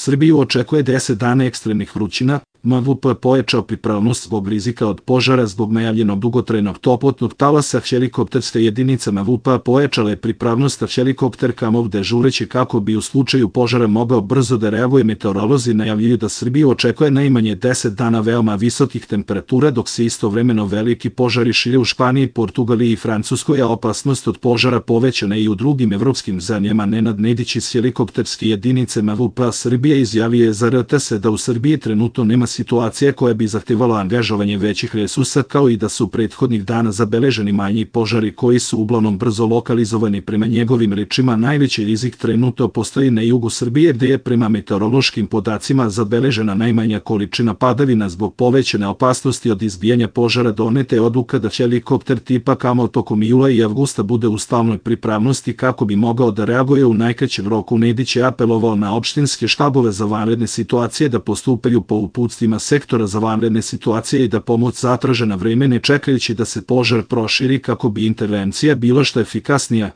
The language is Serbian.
Srbiju očekuje 10 dana ekstremnih vrućina. MVP pojačao pripravnost zbog rizika od požara zbog najavljenog dugotrajnog toplotnog talasa. Helikopterske jedinice MVP pojačale pripravnost, a helikopter Kamov dežureći kako bi u slučaju požara mogao brzo da reaguje. Meteorolozi najavljuju da Srbiju očekuje najmanje 10 dana veoma visokih temperatura, dok se istovremeno veliki požari šire u Španiji, Portugaliji i Francuskoj, a opasnost od požara povećana i u drugim evropskim zemljama. Nenad Nedić iz helikopterske jedinice MVP Srbije izjavio je za RTS da u Srbiji trenutno nema situacija koja bi zahtevala angažovanje većih resursa, kao i da su prethodnih dana zabeleženi manji požari koji su uglavnom brzo lokalizovani. Prema njegovim rečima, najveći rizik trenutno postoji na jugu Srbije, gde je prema meteorološkim podacima zabeležena najmanja količina padavina. Zbog povećane opasnosti od izbijanja požara doneta je odluka da helikopter tipa Kamov tokom jula i avgusta bude u stalnoj pripravnosti kako bi mogao da reaguje u najkraćem roku. Nedić je apelovao na opštinske štabove za vanredne situacije da postupaju po uputstvima sektora za vanredne situacije i da pomoć zatraže na vreme, ne čekajući da se požar proširi, kako bi intervencija bila što efikasnija.